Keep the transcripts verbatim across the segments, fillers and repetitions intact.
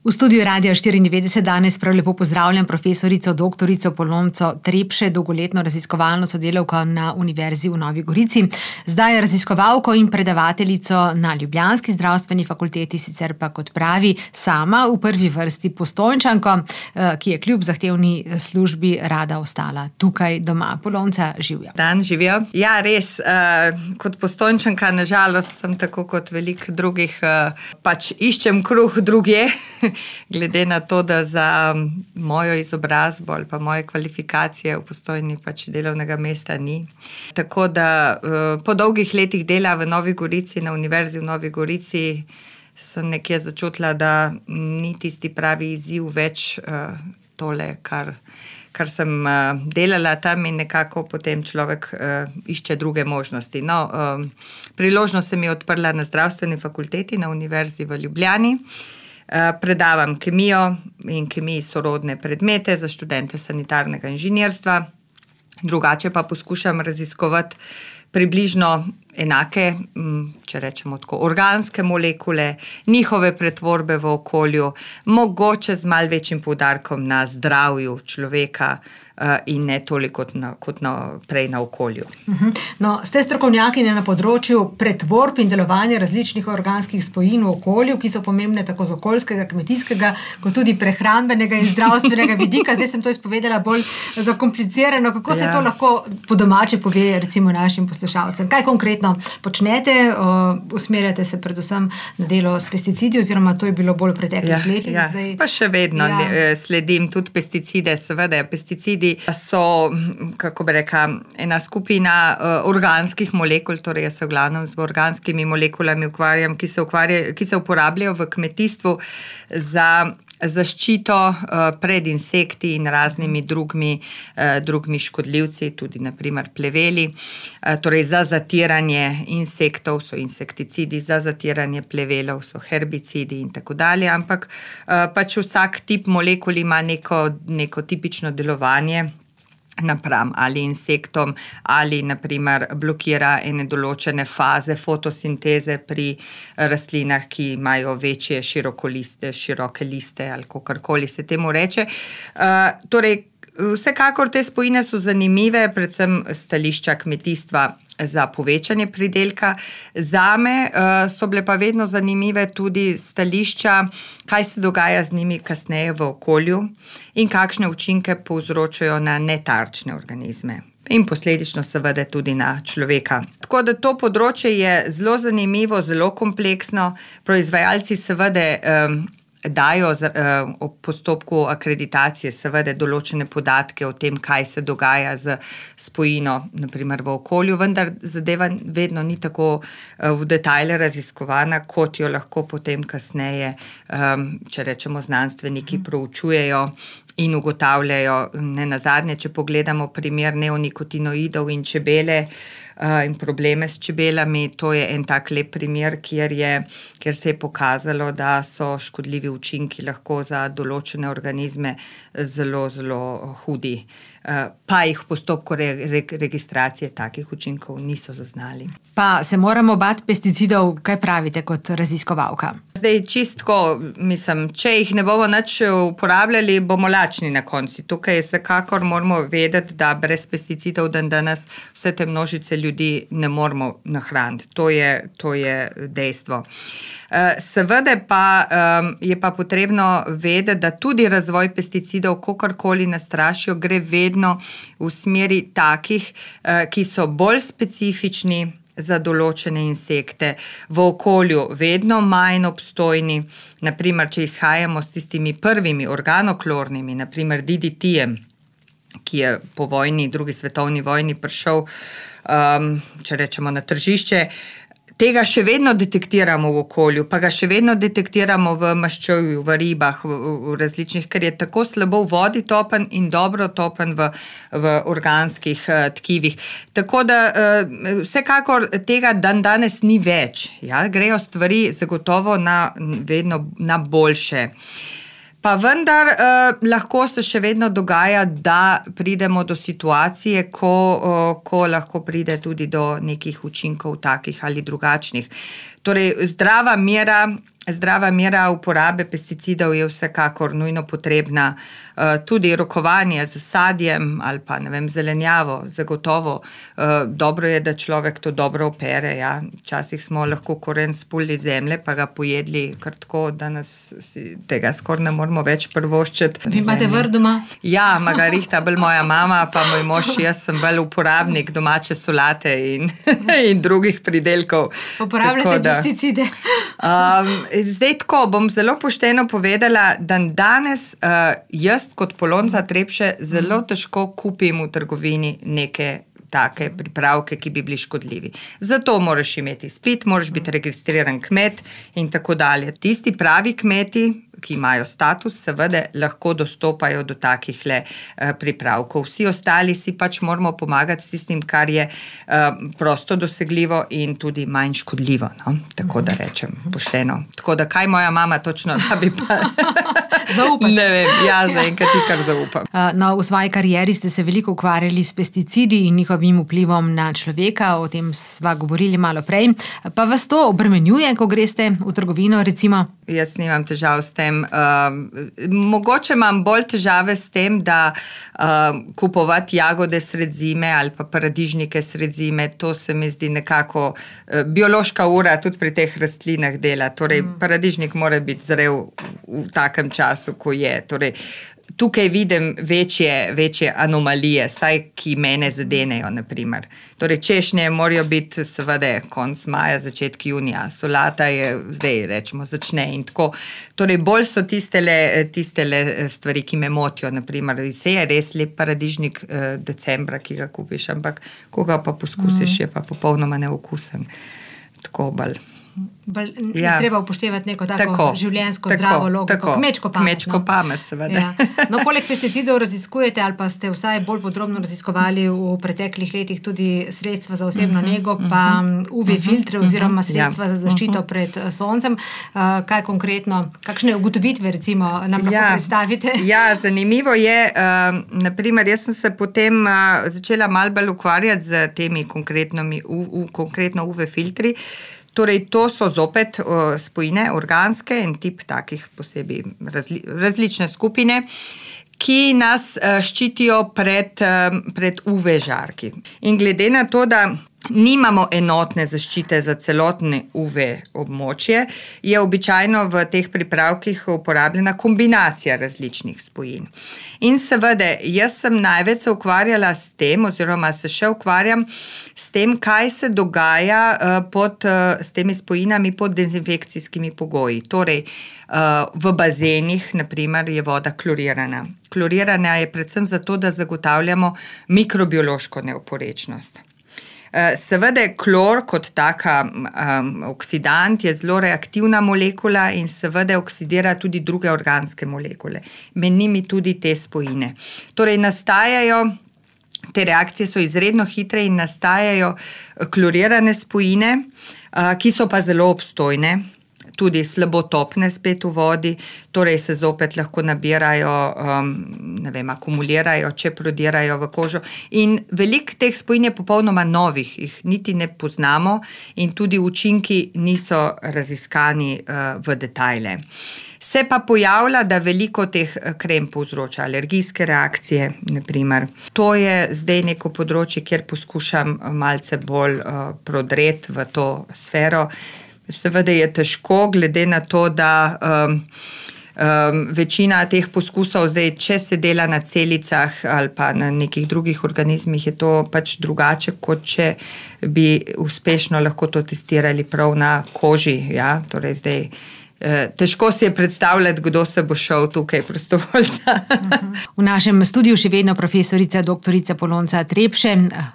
V studiu Radia štiriindevetdeset danes prav lepo pozdravljam profesorico doktorico Polonco Trepše, dolgoletno raziskovalno sodelavko na Univerzi v Novi Gorici. Zdaj je raziskovalko in predavateljico na ljubljanski zdravstveni fakulteti, sicer pa kot pravi sama v prvi vrsti Postojnčanko, ki je kljub zahtevni službi rada ostala tukaj doma. Polonca, živjo. Dan, živijo. Ja, res, kot Postojnčanka, nažalost, sem tako kot veliko drugih, pač iščem kruh drugje. Glede na to, da za mojo izobrazbo ali pa moje kvalifikacije v Postojni pač delovnega mesta ni. Tako da po dolgih letih dela v Novi Gorici, na Univerzi v Novi Gorici, sem nekje začutila, da ni tisti pravi izziv več tole, kar, kar sem delala tam, in nekako potem človek išče druge možnosti. No, priložnost se mi je odprla na zdravstveni fakulteti na Univerzi v Ljubljani. Predavam kemijo in kemiji sorodne predmete za študente sanitarnega inženirstva. Drugače pa poskušam raziskovati približno enake, če rečemo tako, organske molekule, njihove pretvorbe v okolju, mogoče z malo večjim poudarkom na zdravju človeka in ne toliko kot, na, kot na, prej na okolju. No, ste strokovnjakinja na področju pretvorb in delovanja različnih organskih spojin v okolju, ki so pomembne tako z okoljskega, kmetijskega, kot tudi prehrambenega in zdravstvenega vidika. Zdaj sem to izpovedala bolj zakomplicirano. Kako se ja. to lahko po domače pove recimo našim poslušalcem? Kaj konkretno počnete? Usmerjate se predvsem na delo s pesticidi, oziroma to je bilo bolj v preteklih ja, letih. Ja. Zdaj... Pa še vedno ja. sledim tudi pesticide, seveda pesticidi so, kako bi rekla, ena skupina uh, organskih molekul, torej jaz se v glavnem z organskimi molekulami ukvarjam, ki se, ukvarja, ki se uporabljajo v kmetijstvu za zaščito uh, pred insekti in raznimi drugimi, uh, drugimi škodljivci, tudi naprimer pleveli, uh, torej za zatiranje insektov so insekticidi, za zatiranje plevelov so herbicidi in tako dalje, ampak uh, pač vsak tip molekul ima neko, neko tipično delovanje napram ali insektom, ali naprimer blokira ene določene faze fotosinteze pri rastlinah, ki imajo večje širokoliste, široke liste ali kakorkoli se temu reče. Uh, torej, vsekakor te spojine so zanimive, predvsem stališča kmetijstva za povečanje pridelka. Zame uh, so bile pa vedno zanimive tudi stališča, kaj se dogaja z njimi kasneje v okolju in kakšne učinke povzročajo na netarčne organizme. In posledično seveda tudi na človeka. Tako da to področje je zelo zanimivo, zelo kompleksno. Proizvajalci seveda um, dajo uh, ob postopku akreditacije seveda določene podatke o tem, kaj se dogaja z spojino, naprimer v okolju, vendar zadeva vedno ni tako uh, v detajle raziskovana, kot jo lahko potem kasneje, um, če rečemo, znanstveniki proučujejo in ugotavljajo. Ne nazadnje, če pogledamo primer neonikotinoidov in čebele uh, in probleme s čebelami, to je en tak lep primer, kjer, je, kjer se je pokazalo, da so škodljivi učinki lahko za določene organizme zelo, zelo hudi. Uh, pa jih v postopku re, re, registracije takih učinkov niso zaznali. Pa se moramo bati pesticidov, kaj pravite kot raziskovalka? Zdaj čistko, mislim, če jih ne bomo nič uporabljali, bomo lačni na konci. Tukaj vsekakor moramo vedeti, da brez pesticidov dan danes vse te množice ljudi ne moramo nahraniti. To je, to je dejstvo. Seveda pa um, je pa potrebno vedeti, da tudi razvoj pesticidov, kakorkoli nas strašijo, gre vedno v smeri takih, uh, ki so bolj specifični za določene insekte, v okolju vedno manj obstojni. Naprimer, če izhajamo s tistimi prvimi organoklornimi, naprimer D D T-jem, ki je po vojni, drugi svetovni vojni prišel, um, če rečemo, na tržišče, tega še vedno detektiramo v okolju, pa ga še vedno detektiramo v maščevju, v ribah, v, v različnih, ker je tako slabo v vodi topen in dobro topen v, v organskih uh, tkivih. Tako da uh, vsekakor tega dan danes ni več. Ja? Grejo stvari zagotovo na, vedno na boljše. Pa vendar eh, lahko se še vedno dogaja, da pridemo do situacije, ko, eh, ko lahko pride tudi do nekih učinkov takih ali drugačnih. Torej, zdrava mera zdrava mera uporabe pesticidov je vsekakor nujno potrebna. Tudi rokovanje z sadjem ali pa ne vem, zelenjavo, zagotovo. Dobro je, da človek to dobro opere. Ja. Včasih smo lahko koren spulili zemlje, pa ga pojedli kar tako, da nas tega skoraj ne moramo več prvoščiti. Vi imate vrt doma? Ja, ima ga rihta bolj moja mama, pa moj mož, jaz sem bolj uporabnik domače solate in, in drugih pridelkov. Uporabljate pesticide? Um, zdaj tako, bom zelo pošteno povedala, da danes uh, jaz kot Polonca Trepše zelo težko kupim v trgovini neke take pripravke, ki bi bili škodljivi. Zato moraš imeti izpit, moraš biti registriran kmet in tako dalje. Tisti pravi kmeti, ki imajo status, seveda lahko dostopajo do takih le uh, pripravkov. Vsi ostali si pač moramo pomagati s tistim, kar je uh, prosto dosegljivo in tudi manj škodljivo, no? Tako da rečem pošteno. Tako da kaj moja mama točno rabi pa... Zaupati. Ne vem, ja, zaenkrat ti kar zaupam. No, v svoji karieri ste se veliko ukvarjali s pesticidi in njihovim vplivom na človeka, o tem sva govorili malo prej. Pa vas to obremenjuje, ko greste v trgovino, recimo? Jaz nimam težav s tem. Uh, mogoče imam bolj težave s tem, da uh, kupovati jagode sred zime ali pa paradižnike sred zime, to se mi zdi nekako uh, biološka ura tudi pri teh rastlinah dela. Torej, mm. paradižnik mora biti zrel v takem času, ko je. Torej, tukaj vidim večje, večje anomalije, saj ki mene zadenejo, naprimer. Torej, češnje morajo biti seveda konc maja, začetek junija, solata je zdaj, rečemo, začne in tako. Torej, bolj so tistele, tistele stvari, ki me motijo, naprimer, se je res lep paradižnik eh, decembra, ki ga kupiš, ampak ko ga pa poskusiš, mm. je pa popolnoma neokusen. Tako bolj. Bal, ja. Treba upoštevati neko tako, tako življenjsko tako, zdravo logiko, tako, kmečko pamet. Kmečko no? pamet, seveda. Ja. No, poleg pesticidov raziskujete ali pa ste vsaj bolj podrobno raziskovali v preteklih letih tudi sredstva za osebno uh-huh, nego, pa uh-huh, U V filtre oziroma sredstva uh-huh, za zaščito uh-huh. pred soncem. Uh, kaj konkretno, kakšne ugotovitve recimo nam lahko ja. predstavite? Ja, zanimivo je, uh, naprimer, jaz sem se potem uh, začela malo bolj ukvarjati z temi konkretnimi, u, u, konkretno U V filtri. Torej, to so zopet uh, spojine, organske in tip takih posebej razli, različne skupine, ki nas uh, ščitijo pred, uh, pred U V žarki. In glede na to, da nimamo enotne zaščite za celotne U V območje, je običajno v teh pripravkih uporabljena kombinacija različnih spojin. In seveda, jaz sem največ se ukvarjala s tem, oziroma se še ukvarjam s tem, kaj se dogaja uh, pod, uh, s temi spojinami pod dezinfekcijskimi pogoji. Torej, uh, v bazenih, naprimer, je voda klorirana. Klorirana je predvsem zato, da zagotavljamo mikrobiološko neoporečnost. Seveda, klor kot taka um, oksidant je zelo reaktivna molekula in seveda oksidira tudi druge organske molekule. Med njimi tudi te spojine. Torej, nastajajo, te reakcije so izredno hitre in nastajajo klorirane spojine, uh, ki so pa zelo obstojne. Tudi slabotopne spet v vodi, torej se zopet lahko nabirajo, um, ne vem, akumulirajo, če prodirajo v kožo. In veliko teh spojin je popolnoma novih, jih niti ne poznamo in tudi učinki niso raziskani uh, v detajle. Se pa pojavlja, da veliko teh krem povzroča alergijske reakcije, naprimer. To je zdaj neko področje, kjer poskušam malce bolj uh, prodreti v to sfero. Seveda je težko, glede na to, da um, um, večina teh poskusov zdaj, če se dela na celicah ali pa na nekih drugih organizmih, je to pač drugače, kot če bi uspešno lahko to testirali prav na koži. Ja? Torej zdaj, težko si je predstavljati, kdo se bo šel tukaj prostovoljca. V našem studiu še vedno profesorica doktorica Polonca Trepše.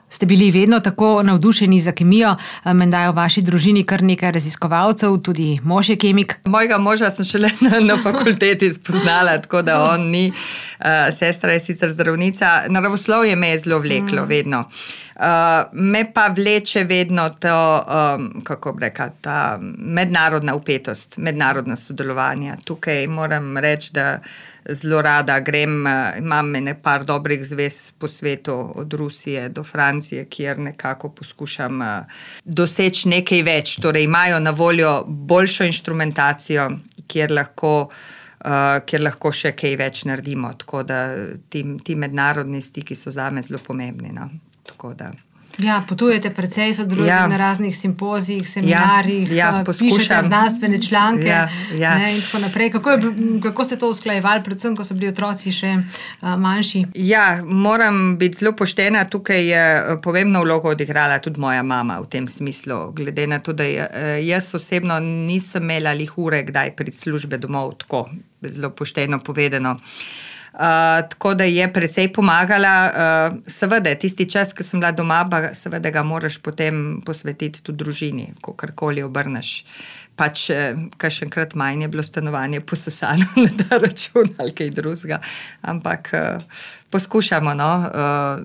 Ste bili vedno tako navdušeni za kemijo, menda je v vaši družini kar nekaj raziskovalcev, tudi mož je kemik. Mojega moža sem šele na, na fakulteti spoznala, tako da on ni. Uh, sestra je sicer zdravnica. Naravoslovje me je zelo vleklo, vedno. Uh, me pa vleče vedno to, um, kako bi rekla, ta mednarodna vpetost, mednarodna sodelovanja. Tukaj moram reči, da zelo rada grem, uh, imam nekaj dobrih zvez po svetu, od Rusije do Francije, kjer nekako poskušam uh, doseči nekaj več. Torej imajo na voljo boljšo inštrumentacijo, kjer lahko Uh, kjer lahko še kaj več naredimo, tako da ti, ti mednarodni stiki so zame zelo pomembni. No? Tako da. Ja, potujete precej, sodelujete ja. na raznih simpozijih, seminarjih, ja, ja, pišete znanstvene članke ja, ja. Ne, in tako naprej. Kako, je, kako ste to usklajevali, predvsem, ko so bili otroci še uh, manjši? Ja, moram biti zelo poštena, tukaj je pomembno vlogo odigrala tudi moja mama v tem smislu, glede na to, da je, jaz osebno nisem imela lih ure, kdaj priti službe domov, tako zelo pošteno povedano. Uh, tako da je precej pomagala. Uh, seveda, tisti čas, ki sem bila doma, pa seveda ga moraš potem posvetiti tudi družini, ko karkoli obrneš. Pač, kakšenkrat manj je bilo stanovanje posesano na ta račun ali kaj drugega, ampak uh, poskušamo no, uh,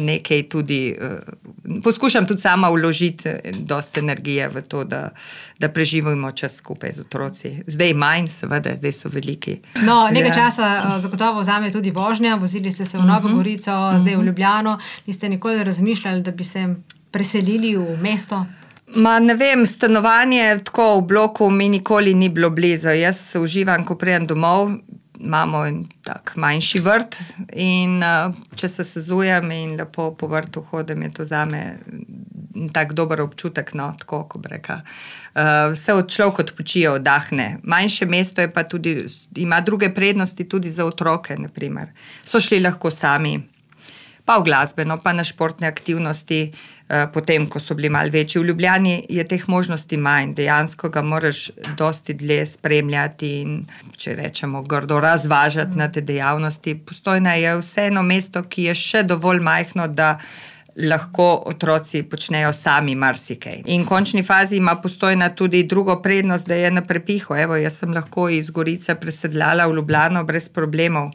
nekaj tudi, uh, poskušam tudi sama vložiti dosti energije v to, da, da preživimo čas skupaj z otroci. Zdaj manj, seveda, zdaj so veliki. No, nekaj ja. časa uh, zagotovo vzame tudi vožnja, vozili ste se v Novo uh-huh. Gorico, uh-huh. zdaj v Ljubljano, niste nikoli razmišljali, da bi se preselili v mesto? Ma ne vem, stanovanje tako v bloku mi nikoli ni bilo blizu. Jaz uživam, ko prijem domov, imamo tak manjši vrt in uh, če se sezujem in lepo po vrtu hodim, je to zame tak dober občutek, no, tako, ko bi rekla. Uh, vse od človek odpočije, oddahne. Manjše mesto je pa tudi, ima druge prednosti tudi za otroke, na primer. So šli lahko sami, pa v glasbeno, pa na športne aktivnosti, potem, ko so bili malo večji. V Ljubljani je teh možnosti manj, dejansko ga moraš dosti dlje spremljati in, če rečemo, grdo razvažati na te dejavnosti. Postojna je vseeno mesto, ki je še dovolj majhno, da lahko otroci počnejo sami marsikaj. In v končni fazi ima Postojna tudi drugo prednost, da je na prepihu. Evo, jaz sem lahko iz Gorice presedljala v Ljubljano brez problemov.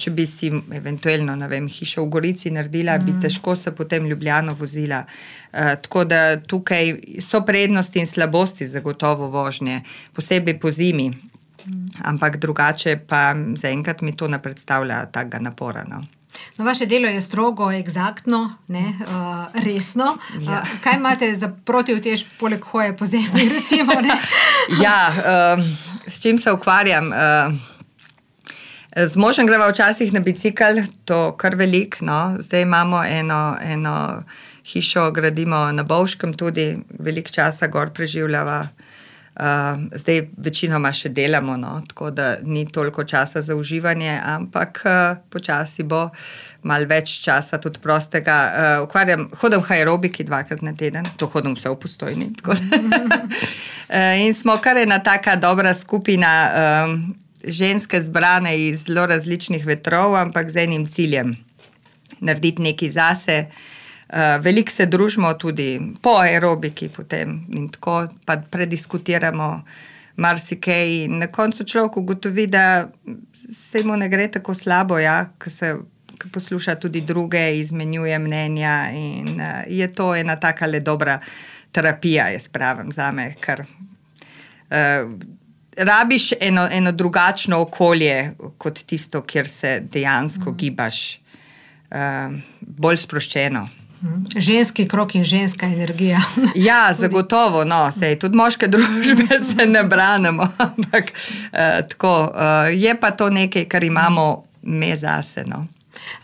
Če bi si eventualno, ne vem, hišo v Gorici naredila, mm. bi težko se potem Ljubljano vozila. Uh, tako da tukaj so prednosti in slabosti zagotovo vožnje, posebej po zimi. Mm. Ampak drugače pa zaenkrat mi to ne predstavlja takega napora, no. No, vaše delo je strogo, egzaktno, ne, uh, resno. Ja. Uh, kaj imate za protiutež poleg hoje po zemlji, recimo? Ne? Ja, uh, s čim se ukvarjam? Uh, z možem greva včasih na bicikl, to kar velik, no. Zdaj imamo eno, eno hišo, gradimo na Bovškem tudi, velik časa gor preživljava. Uh, zdaj večinoma še delamo, no, tako da ni toliko časa za uživanje, ampak uh, počasi bo malo več časa tudi prostega. Uh, ukvarjam, hodim v aerobiki dvakrat na teden, to hodim vse v Postojni. Tako da. uh, in smo kar ena taka dobra skupina um, ženske zbrane iz zelo različnih vetrov, ampak z enim ciljem, narediti nekaj zase. Uh, veliko se družimo tudi po aerobiki potem in tako pa prediskutiramo marsikaj in na koncu človek ugotovi, da se mu ne gre tako slabo, ja, ko se ko posluša tudi druge, izmenjuje mnenja in uh, je to ena taka le dobra terapija, jaz pravim zame, ker uh, rabiš eno, eno drugačno okolje kot tisto, kjer se dejansko mm. gibaš, uh, bolj sproščeno. Ženski krok in ženska energija. Ja, zagotovo, no, sej, tudi moške družbe se ne branimo, ampak uh, tako, uh, je pa to nekaj, kar imamo me zase, no.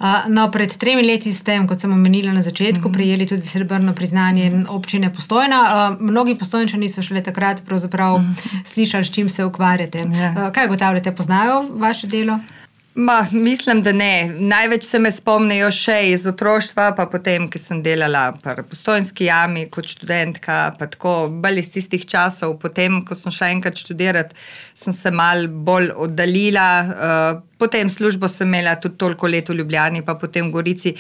Uh, no, pred tremi leti ste, kot sem omenila na začetku, prijeli tudi srebrno priznanje občine Postojna. Uh, mnogi Postojnčani so šele takrat pravzaprav slišali, s čim se ukvarjate. Uh, kaj ugotavljate, poznajo vaše delo? Ma, mislim, da ne. Največ se me spomnijo še iz otroštva, pa potem, ki sem delala pri Postojnski jami kot študentka, pa tako bolj iz tistih časov. Potem, ko sem šla enkrat študirati, sem se malo bolj oddaljila. Uh, potem službo sem imela tudi toliko let v Ljubljani, pa potem v Gorici.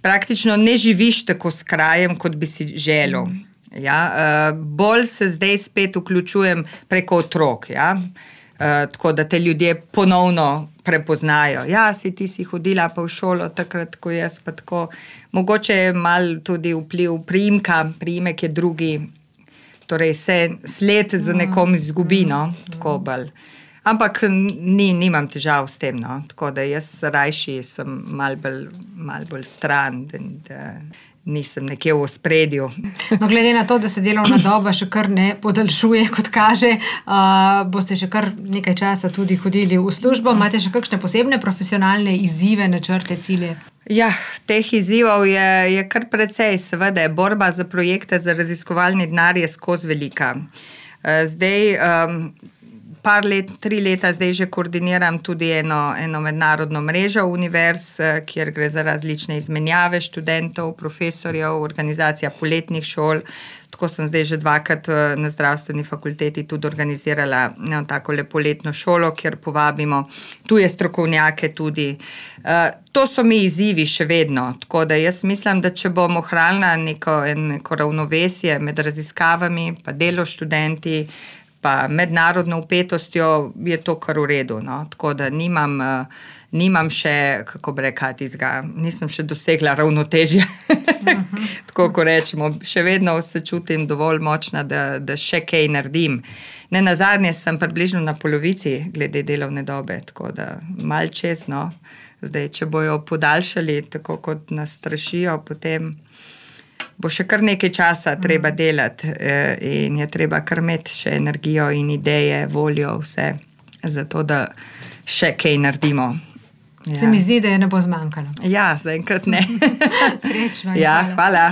Praktično ne živiš tako s krajem, kot bi si želel. Ja? Uh, bolj se zdaj spet vključujem preko otrok, ja? Uh, tako da te ljudje ponovno prepoznajo. Ja, si ti si hodila pa v šolo takrat, ko jaz pa tako. Mogoče je mal tudi vpliv priimka, priimek je drugi, torej se sled za nekom izgubi, no, tako bolj. Ampak ni, nimam težav s tem, no, tako da jaz rajši sem mal bolj, mal bolj stran, da, da nisem nekje v ospredju. No, glede na to, da se delovna doba še kar ne podaljšuje, kot kaže, uh, boste še kar nekaj časa tudi hodili v službo. Imate še kakšne posebne profesionalne izzive, načrte, cilje? Ja, teh izzivov je, je kar precej, seveda. Borba za projekte, za raziskovalni denar je skozi velika. Zdaj, um, par let, tri leta zdaj že koordiniram tudi eno, eno mednarodno mrežo univerz, kjer gre za različne izmenjave študentov, profesorjev, organizacija poletnih šol. Tako sem zdaj že dvakrat na zdravstveni fakulteti tudi organizirala eno tako lepoletno šolo, kjer povabimo tuje strokovnjake tudi. Uh, to so mi izzivi še vedno, tako da jaz mislim, da če bom ohranila neko, neko ravnovesje med raziskavami, pa delo študenti, pa mednarodno vpetostjo, je to kar v redu, no, tako da nimam, uh, nimam še, kako bi rekla, tizga, nisem še dosegla ravnotežja, uh-huh. Tako ko rečemo, še vedno se čutim dovolj močna, da, da še kaj naredim. Ne nazadnje sem približno na polovici glede delovne dobe, tako da mal čez, no, zdaj, če bojo podaljšali, tako kot nas strašijo, potem bo še kar nekaj časa treba delati in je treba kar imeti še energijo in ideje, voljo, vse, zato da še kaj naredimo. Ja. Se mi zdi, da je ne bo zmanjkalo. Ja, zaenkrat ne. Srečno. Ja, hvala.